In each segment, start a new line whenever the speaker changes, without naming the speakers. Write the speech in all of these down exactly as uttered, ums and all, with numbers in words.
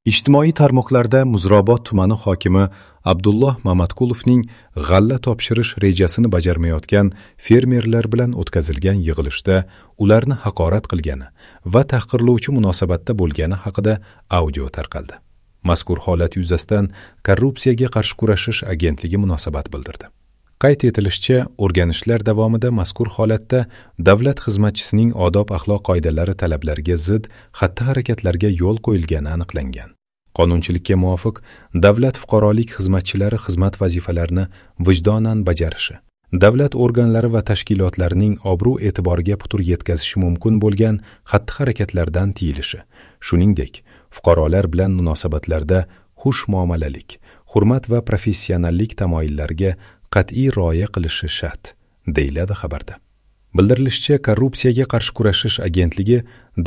Ijtimoiy tarmoqlarda Muzrabot tumani hokimi Abdulloh Mamatqulovning g'alla topshirish rejasini bajarmayotgan fermerlar bilan o'tkazilgan yig'ilishda ularni haqorat qilgani va tahqirlovchi munosabatda bo'lgani haqida audio tarqaldi. Mazkur holat yuzasidan Korrupsiyaga qarshi kurashish agentligi munosabat bildirdi. Qayd etilishicha, o'rganishlar davomida mazkur holatda davlat xizmatchisining odob-axloq qoidalari talablariga zid xatti-harakatlarga yo'l qo'yilgani aniqlangan. Qonunchilikka muvofiq, davlat fuqarolik xizmatchilari xizmat vazifalarini vijdonan bajarishi, davlat organlari va tashkilotlarining obro'-e'tiboriga putur yetkazishi mumkin bo'lgan xatti-harakatlardan tiyilishi, shuningdek, fuqarolar bilan munosabatlarda xush muomalalik, hurmat va professionallik tamoyillariga qat'iy rioya qilishi shart, deyiladi xabarda. Bildirilishicha, Korrupsiyaga qarshi kurashish agentligi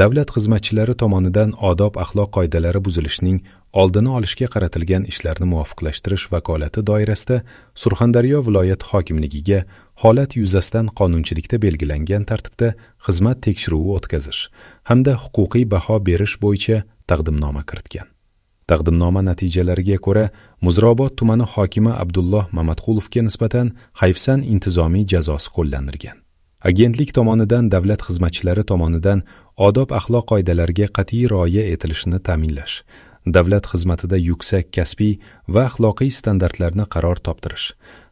davlat xizmatchilari tomonidan odob-axloq qoidalari buzilishining oldini olishga qaratilgan ishlarni muvofiqlashtirish vakolati doirasida Surxondaryo viloyat hokimligiga holat yuzasidan qonunchilikda belgilangan tartibda xizmat tekshiruvi o'tkazish hamda huquqiy baho berish bo'yicha taqdimnoma kiritgan. Taqdimnoma natijalariga ko'ra, Muzrabot tumani hokimi Abdulloh Mamatqulovga nisbatan hayfsan intizomiy jazosi qo'llanilgan. Agentlik tomonidan davlat xizmatchilari tomonidan odob-axloq qoidalariga qat'iy rioya etilishini ta'minlash, davlat xizmatida yuksak kasbiy va axloqiy standartlarni qaror toptirish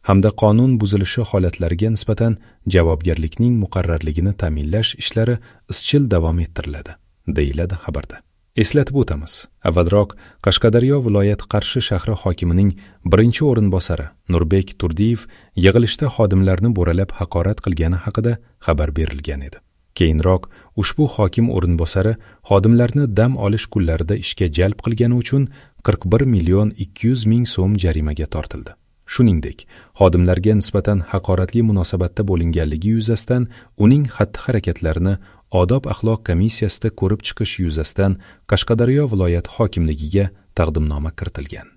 hamda qonun buzilishi holatlariga nisbatan javobgarlikning muqarrarligini ta'minlash ishlari izchil davom ettiriladi, deyiladi xabarda. Eslatib o'tamiz, avvalroq Qashqadaryo viloyati Qarshi shahri hokimining birinchi o'rinbosari Nurbek Turdiyev yig'ilishda xodimlarni bo'ralab haqorat qilgani haqida xabar berilgan edi. Keyinroq ushbu hokim o'rinbosari xodimlarni dam olish kunlarida ishga jalb qilgani uchun qirq bir million ikki yuz ming so'm jarimaga tortildi. Shuningdek, xodimlarga nisbatan haqoratli munosabatda bo'linganligi yuzasidan uning xatti-harakatlarini odob-axloq komissiyasida ko'rib chiqish yuzasidan Qashqadaryo viloyati hokimligiga taqdimnoma kiritilgan.